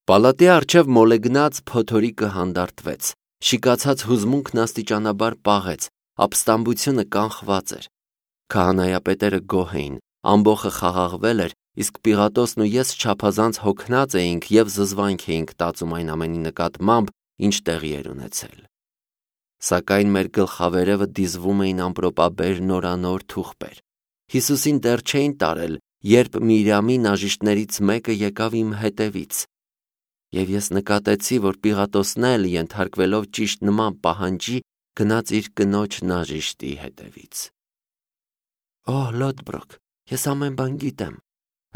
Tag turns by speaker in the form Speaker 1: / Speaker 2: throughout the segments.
Speaker 1: Պալատի առջև մոլեգնած փոթորիկը հանդարտվեց, շիկացած հուզմունքն աստիճանաբար պաղեց, ապստամբությունը կանխված էր։ Քահանայապետերը գոհ էին, ամբոխը խաղաղվել էր, իսկ Պիղատոսն ու ես չափազանց հոգնած էինք և զզվանք էինք տածում այն ամենի նկատմամբ, ինչ տեղի էր ունեցել։ Սակայն մեր գլխավերևը դիզվում էին ամպրոպաբեր նորանոր թուղթեր։ Հիսուսին դեռ չէին տարել, երբ Միրյամի նաժիշտներից մեկը եկավ իմ հետևից։ Եվ ես նկատեցի, որ Պիղատոսն էլ, ենթարկվելով ճիշտ նման պահանջի, գնաց իր կնոջ նաժիշտի հետևից։ Լոդբրոկ, ես ամեն բան գիտեմ։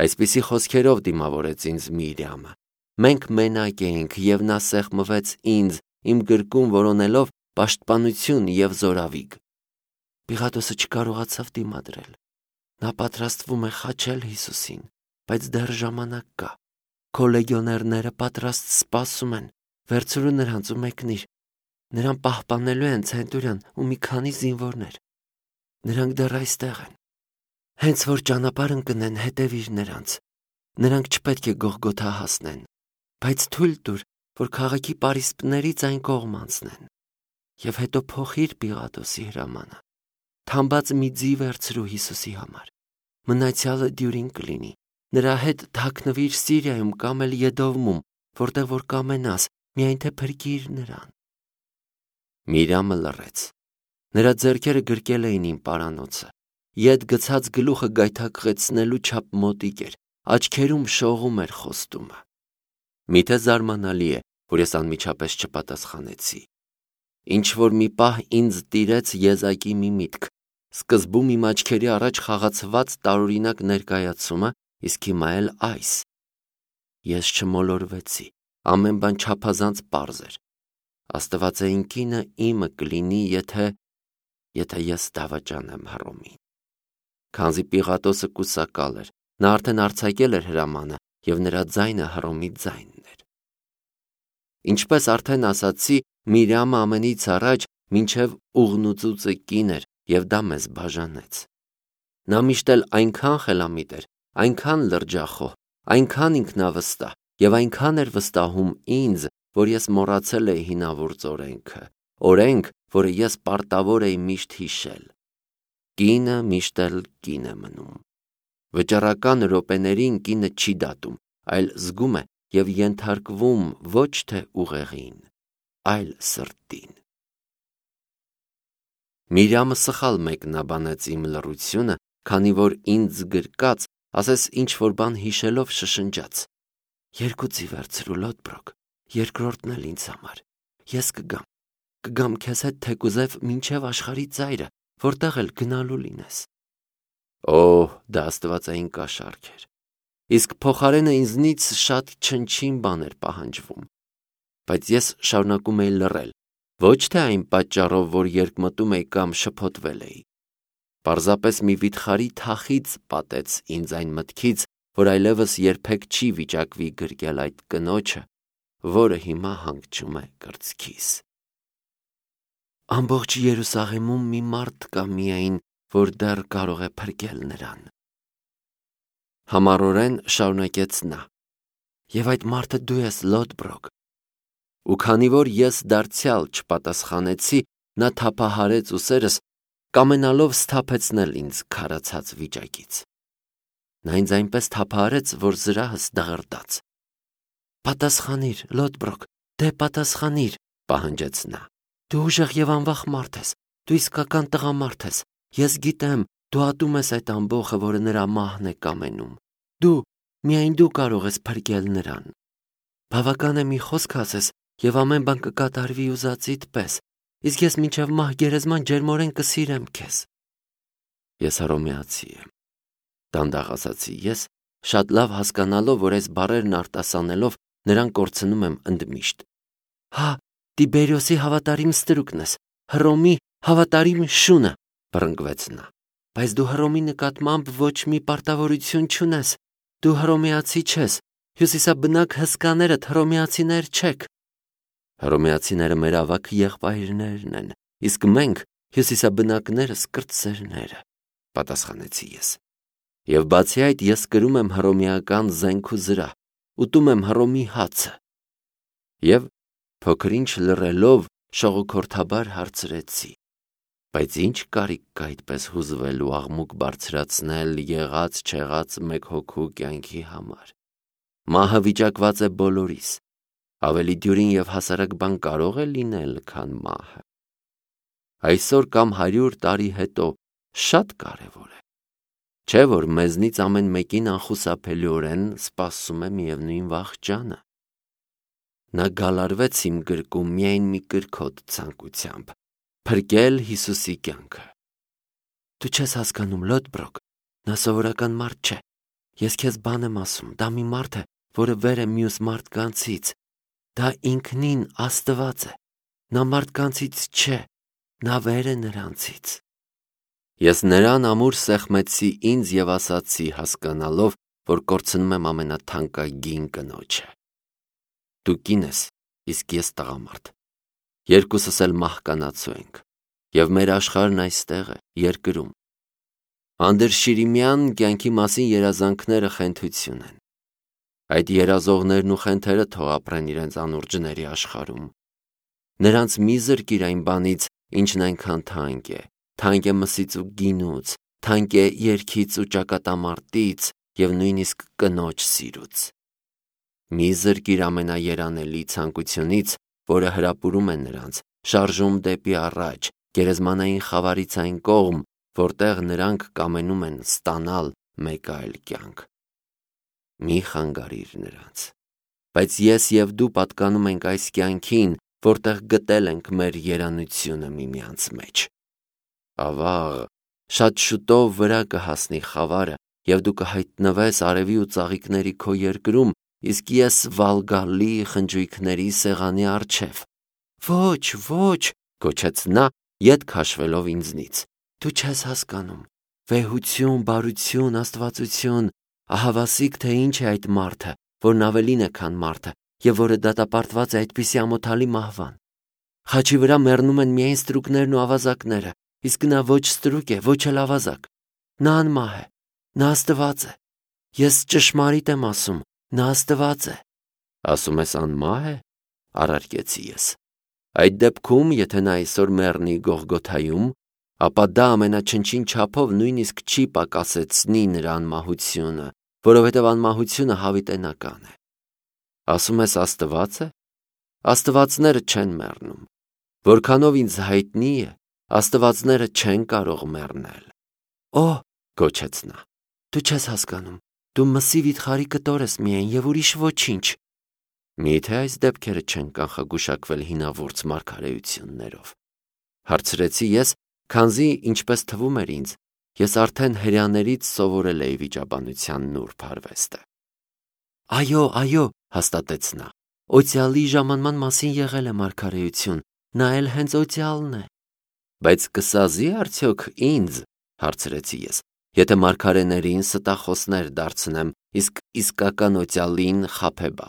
Speaker 1: Այսպիսի խոսքերով դիմավորեց ինձ Միրյամը։ Մենք մենակ էինք, և նա սեղմվեց ինձ, իմ գրկում որոնելով պաշտպանություն և զորավիգ։ Պիղատոսը չկարողացավ դիմադրել։ Նա պատրաստվում է խաչել Հիսուսին, բայց դեռ ժամանակ կա։ Քո լեգիոներները պատրաստ սպասում են, վերցրու նրանց ու մեկնիր։ Նրան պահպանելու են ցենտուրիան ու մի քանի զինվորներ։ Նրանք դեռ այստեղ են։ Հենց որ ճանապարհ ընկնեն, հետևիր նրանց։ Նրանք չպետք է Գողգոթա հասնեն, բայց թույլ տուր, որ քաղաքի պարիսպներից այն կողմ անցնեն։ Եվ հետո փոխիր Պիղատոսի հրամանը։ Թամբած մի ձի վերցրու Հիսուսի համար։ Մնացյալը դյուրին կլինի։ Նրա հետ թաքնվիր Սիրիայում կամ էլ Եդովմում, որտեղ որ կամենաս, միայն թե փրկիր նրան։ Միրյամը լռեց։ Նրա ձեռքերը գրկել էին իմ պարանոցը։ Ետ գցած գլուխը գայթակղեցնելու չափ մոտիկ էր, աչքերում շողում էր խոստումը։ Միթե զարմանալի է, որ ես անմիջապես չպատասխանեցի։ Ինչ-որ մի պահ ինձ տիրեց եզակի մի միտք։ Սկզբում իմ աչքերի առաջ խաղացված տարօրինակ ներկայացումը, իսկ հիմա էլ այս։ Ես չմոլորվեցի, ամեն բան չափազանց պարզ էր։ Աստվածային կինը իմը կլինի, եթե ես դավաճանեմ Հռոմին։ Քանզի Պիղատոսը կուսակալ էր, նա արդեն արձակել էր հրամանը, և նրա ձայնը Հռոմի ձայնն էր։ Ինչպես արդեն ասացի, Միրյամը ամենից առաջ մինչև ուղնուծուծը կին էր, և դա մեզ բաժանեց։ Նա միշտ էլ այնքան խելամիտ էր, այնքան լրջախոհ, այնքան ինքնավստահ և այնքան էր վստահում ինձ, որ ես մոռացել էի հինավուրց օրենք, որը ես պարտավոր էի միշտ հիշել։ Կինը միշտ էլ կին է մնում։ Վճռական րոպեներին կինը չի դատում, այլ զգում է և ենթարկվում ոչ թե ուղեղին, այլ սրտին։ Միրյամը սխալ մեկնաբանեց իմ լռությունը, քանի որ ինձ գրկած, ասես ինչ-որ բան հիշելով շշնջաց. «Երկու ձի վերցրու, Լոդբրոկ, երկրորդն էլ ինձ համար։ Ես կգամ քեզ հետ թեկուզև մինչև աշխարհի ծայրը, որտեղ էլ գնալու լինես»։ Դա աստվածային կաշառք էր։ Իսկ փոխարենը ինձնից շատ չնչին բան էր պահանջվում։ Բայց ես շարունակում էի լռել, ոչ թե այն պատճառով, որ երկմտում էի կամ շփոթվել էի։ Պարզապես մի վիթխարի թախիծ պատեց ինձ այն մտքից, որ այլևս երբեք չի վիճակվի գրկել այդ կնոջը, որը հիմա հանգչում է կրծքիս։ Ամբողջ Երուսաղեմում մի մարդ կա միայն, որ դեռ կարող է փրկել նրան։ Համառորեն շարունակեց նա. «Եվ այդ մարդը դու ես, Լոդբրոկ»։ Ու քանի որ ես դարձյալ չպատասխանեցի, նա թափահարեց ուսերս, կամենալով սթափեցնել ինձ քարացած վիճակից։ Նա ինձ այնպես թափահարեց, որ զրահս դղրդաց։ «Պատասխանիր, Լոդբրոկ, դե պատասխանիր», պահանջեց նա։ «Դու ուժեղ և անվախ մարդ ես, դու իսկական տղամարդ ես, ես գիտեմ, դու ատում ես այդ ամբոխը, որը նրա մահն է կամենում։ Միայն դու կարող ես փրկել նրան։ Բավական է մի խոսք ասես, և ամեն բան կկատարվի ուզածիդ պես, իսկ ես մինչև մահ գերեզման ջերմորեն կսիրեմ քեզ»։ «Ես հռոմեացի եմ», դանդաղ ասացի ես, շատ լավ հասկանալով, որ այս բառերն արտասանելով նրան կորցնում եմ ընդմիշտ։ Տիբերիոսի հավատարիմ ստրուկն ես, Հռոմի հավատարիմ շունը, բռնկվեց նա։ Բայց դու Հռոմի նկատմամբ ոչ մի պարտավորություն չունես։ Դու հռոմեացի չես, հյուսիսաբնակ հսկաներդ հռոմեացիներ չեք։ Հռոմեացիները մեր ավագ եղբայրներն են, իսկ մենք հյուսիսաբնակներս կրտսերները, պատասխանեցի ես։ Եվ բացի այդ, ես կրում եմ հռոմեական զենք ու զրահ, ուտում եմ Հռոմի հացը։ Եվ փոքր-ինչ լռելով շողոքորթաբար հարցրեցի. բայց ինչ կարիք կա այդպես հուզվել ու աղմուկ բարձրացնել եղած չեղած մեկ հոգու կյանքի համար։ Մահը վիճակված է բոլորիս, ավելի դյուրին և հասարակ բան կարող է լինել, քան մահը։ Այսօր կամ 100 տարի հետո շատ կարևոր է, չէ՞ որ մեզնից ամեն մեկին անխուսափելիորեն սպասում է միևնույն վախճանը։ Նա գալարվեց իմ գրկում միայն մի կրքոտ ցանկությամբ՝ փրկել Հիսուսի կյանքը։ Դու չես հասկանում, Լոդբրոկ, նա սովորական մարդ չէ։ Ես քեզ բան եմ ասում, դա մի մարդ է, որը վեր է մյուս մարդկանցից։ Դա ինքնին Աստված է։ Նա մարդկանցից չէ, նա վեր է նրանցից։ Ես նրան ամուր սեղմեցի ինձ և ասացի, հասկանալով, որ կորցնում եմ ամենաթանկագին կնոջը. Դու կին ես, իսկ ես տղամարդ։ Երկուսս էլ մահկանացու ենք, և մեր աշխարհն այստեղ է, երկրում։ Անդրշիրիմյան կյանքի մասին երազանքները խենթություն են։ Այդ երազողներն ու խենթերը թող ապրեն իրենց անուրջների աշխարհում։ Նրանց մի զրկիր այն բանից, ինչն այնքան թանկ է մսից ու գինուց, թանկ է երգից ու ճակատամարտից և նույնիսկ կնոջ սիրուց։ Մի զրկիր ամենաերանելի ցանկությունից, որը հրապուրում է նրանց, շարժում դեպի առաջ, գերեզմանային խավարից այն կողմ, որտեղ նրանք կամենում են ստանալ մեկ այլ կյանք։ Մի խանգարիր նրանց, բայց ես և դու պատկանում ենք այս կյանքին, որտեղ գտել ենք մեր երանությունը միմյանց մեջ։ Ավաղ, շատ շուտով վրա կհասնի խավարը, և դու կհայտնվես արևի ու ծաղիկների քո երկրում, իսկ ես Վալգալի խնջույքների սեղանի առջև։ Ոչ, ոչ, գոչեց նա, ետ քաշվելով ինձնից։ Դու չես հասկանում։ Վեհություն, բարություն, աստվածություն, ահավասիկ թե ինչ է այդ մարդը, որն ավելին է, քան մարդը, և որը դատապարտված է այդպիսի ամոթալի մահվան։ Խաչի վրա մեռնում են միայն ստրուկներն ու ավազակները, իսկ նա ոչ ստրուկ է, ոչ էլ ավազակ։ Նա անմահ է, նա Աստված է։ Ես ճշմարիտ եմ ասում, նա Աստված է։ Ասում ես անմահ է, առարկեցի ես։ Այդ դեպքում, եթե նա այսօր մեռնի Գողգոթայում, ապա դա ամենաչնչին չափով նույնիսկ չի պակասեցնի նրա անմահությունը, որովհետև անմահությունը հավիտենական է։ Ասում ես Աստված է։ Աստվածները չեն մեռնում։ Որքանով ինձ հայտնի է, աստվածները չեն կարող մեռնել։ Օհ, գոչեց նա, դու չես հասկանում, դու մսի վիթխարի կտոր ես միայն և ուրիշ ոչինչ։ Միթե այս դեպքերը չեն կանխագուշակվել հինավուրց մարգարեություններով, հարցրեցի ես, քանզի ինչպես թվում էր ինձ, ես արդեն հրեաներից սովորել էի վիճաբանության նուրբ արվեստը։ Այո, հաստատեց նա, օծյալի ժամանման մասին եղել է մարգարեություն, նա էլ հենց օծյալն է։ Բայց կսազի արդյոք ինձ, հարցրեցի ես, եթե մարգարեներին ստախոսներ դարձնեմ, իսկ իսկական օծյալին խաբեբա։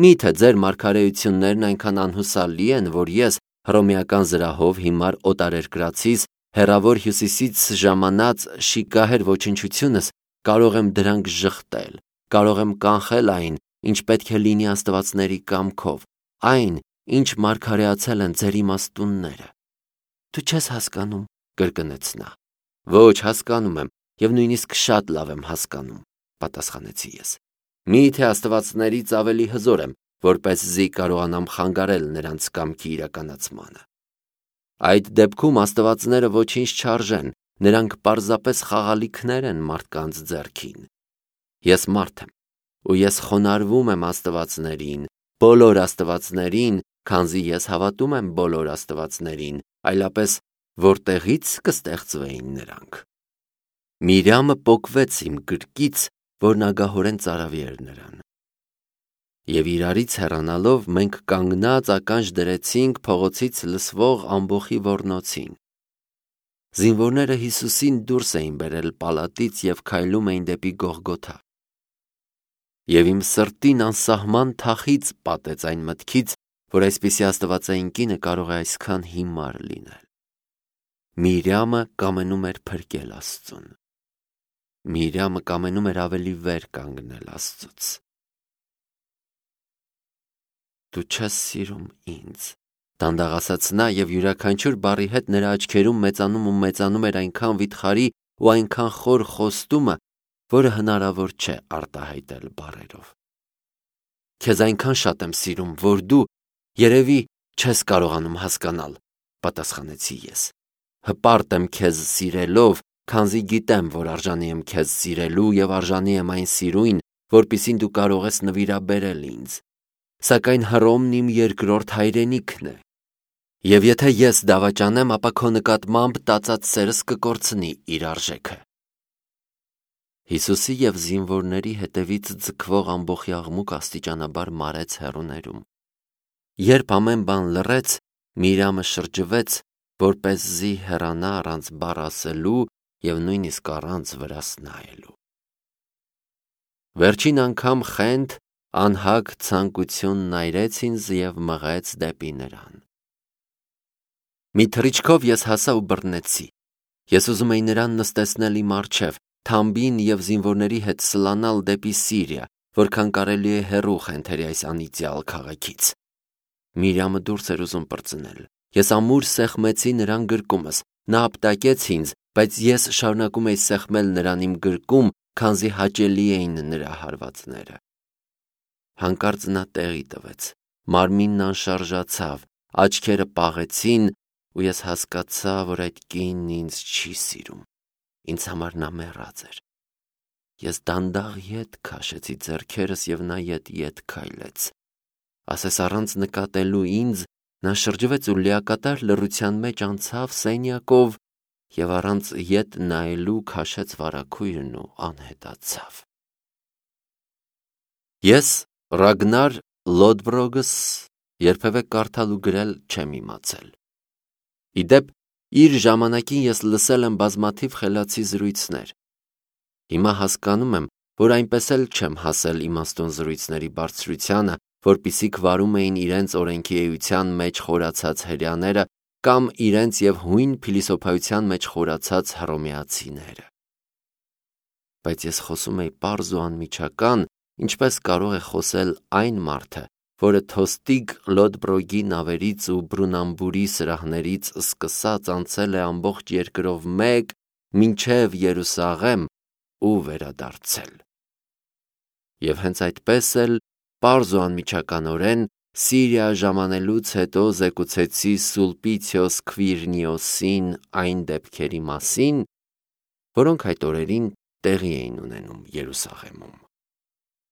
Speaker 1: Միթե ձեր մարգարեություններն այնքան անհուսալի են, որ ես հռոմեական զրահով հիմար օտարերկրացիս, հեռավոր հյուսիսից ժամանած շիկահեր ոչնչությունս կարող եմ դրանք ժխտել, կարող եմ կանխել այն, ինչ պետք է լինի աստվածների կամքով, այն, ինչ մարգարեացել են ձեր իմաստունները։ Դու չես հասկանում, կրկնեց նա։ Ոչ, հասկանում եմ, և նույնիսկ շատ լավ եմ հասկանում, պատասխանեցի ես։ Միթե աստվածներից ավելի հզոր եմ, որպեսզի կարողանամ խանգարել նրանց կամքի իրականացմանը։ Այդ դեպքում աստվածները ոչինչ չարժեն, նրանք պարզապես խաղալիքներ են մարդկանց ձեռքին։ Ես մարդ եմ, ու ես խոնարհվում եմ աստվածներին, բոլոր աստվածներին, քանզի ես հավատում եմ բոլոր աստվածներին, այլապես որտեղից կստեղծվեին նրանք։ Միրյամը պոկվեց իմ գրկից, որն ագահորեն ծարավի էր նրան։ Եվ իրարից հեռանալով մենք կանգնած ականջ դրեցինք փողոցից լսվող ամբոխի ոռնոցին։ Զինվորները Հիսուսին դուրս էին բերել պալատից և քայլում էին դեպի Գողգոթա։ Եվ իմ սրտին անսահման թախիծ պատեց այն մտքից, որ այսպիսի աստվածային կինը կարող է այսքան հիմար լինել։ Միրյամը կամենում էր փրկել Աստծուն։ Միրյամը կամենում էր ավելի վեր կանգնել Աստծուց։ Դու չես սիրում ինձ։ Դանդաղ ասաց նա, եւ յուրաքանչյուր բառի հետ նրա աչքերում մեծանում ու մեծանում էր այնքան վիթխարի ու այնքան խոր խոստումը, որը հնարավոր չէ արտահայտել բառերով։ Քեզ այնքան շատ եմ սիրում, որ դու երևի չես կարողանում հասկանալ, պատասխանեցի ես։ Հպարտ եմ քեզ սիրելով, քանզի գիտեմ, որ արժանի եմ քեզ սիրելու եւ արժանի եմ այն սիրույն, որպիսին դու կարող ես նվիրաբերել ինձ։ Սակայն Հռոմն իմ երկրորդ հայրենիքն է։ Եվ եթե ես դավաճանեմ, ապա քո նկատմամբ տածած սերս կկորցնի իր արժեքը։ Հիսուսի եւ զինվորների հետևից ձգվող ամբոխի աղմուկ աստիճանաբար մարեց հեռուներում։ Երբ ամեն բան լռեց, Միրյամը շրջվեց, որպեսզի հեռանա առանց բառ ասելու եւ նույնիսկ առանց վրաս նայելու։ Վերջին անգամ խենթ, անհագ ցանկություն նայրեց ինձ եւ մղեց դեպի նրան։ Մի թռիչքով ես հասա ու բռնեցի։ Ես ուզում էի նրան նստեցնել իմ առջև, թամբին եւ զինվորների հետ սլանալ դեպի Սիրիա, որքան կարելի է հեռու խենթերի այս անիծյալ քաղաքից։ Միրյամը դուրս էր ուզում պրծնել։ Ես ամուր սեղմեցի նրան գրկումս։ Նա ապտակեց ինձ, բայց ես շարունակում էի սեղմել նրան իմ գրկում, քանզի հաճելի էին նրա հարվածները։ Հանկարծ նա տեղի տվեց։ Մարմինն անշարժացավ, աչքերը պաղեցին, ու ես հասկացա, որ այդ կինն ինձ չի սիրում։ Ինձ համար նա մեռած էր։ Ես դանդաղ ետ քաշեցի ձեռքերս եւ նա ետ քայլեց։ Ասես առանց նկատելու ինձ, նա շրջվեց ու լիակատար լռության մեջ անցավ սենյակով եւ առանց ետ նայելու քաշեց վարագույրն ու անհետացավ։ Ես Ռագնար Լոդբրոգս երբևէ կարդալ ու գրել չեմ իմացել։ Իդեպ, իր ժամանակին ես լսել եմ բազմաթիվ խելացի զրույցներ։ Հիմա հասկանում եմ, որ այնպես էլ չեմ հասել իմաստուն զրույցների բարձրությանը, որպիսիք վարում էին իրենց օրենքի էության մեջ խորացած հրեաները կամ իրենց եւ հույն փիլիսոփայության մեջ խորացած հռոմեացիները։ Բայց ես խոսում էի պարզ ու անմիջական, ինչպես կարող է խոսել այն մարդը, որը Թոստիգ Լոդբրոգի նավերից ու Բրունամբուրի սրահներից սկսած անցել է ամբողջ երկրով մեկ մինչև Երուսաղեմ ու վերադարձել։ Եվ հենց այդպես էլ պարզ ու անմիջականորեն Սիրիա ժամանելուց հետո զեկուցեցի Սուլպիցիոս Քվիրնիոսին այն դեպքերի մասին, որոնք այդ օրերին տեղի էին ունենում Երուսաղեմում։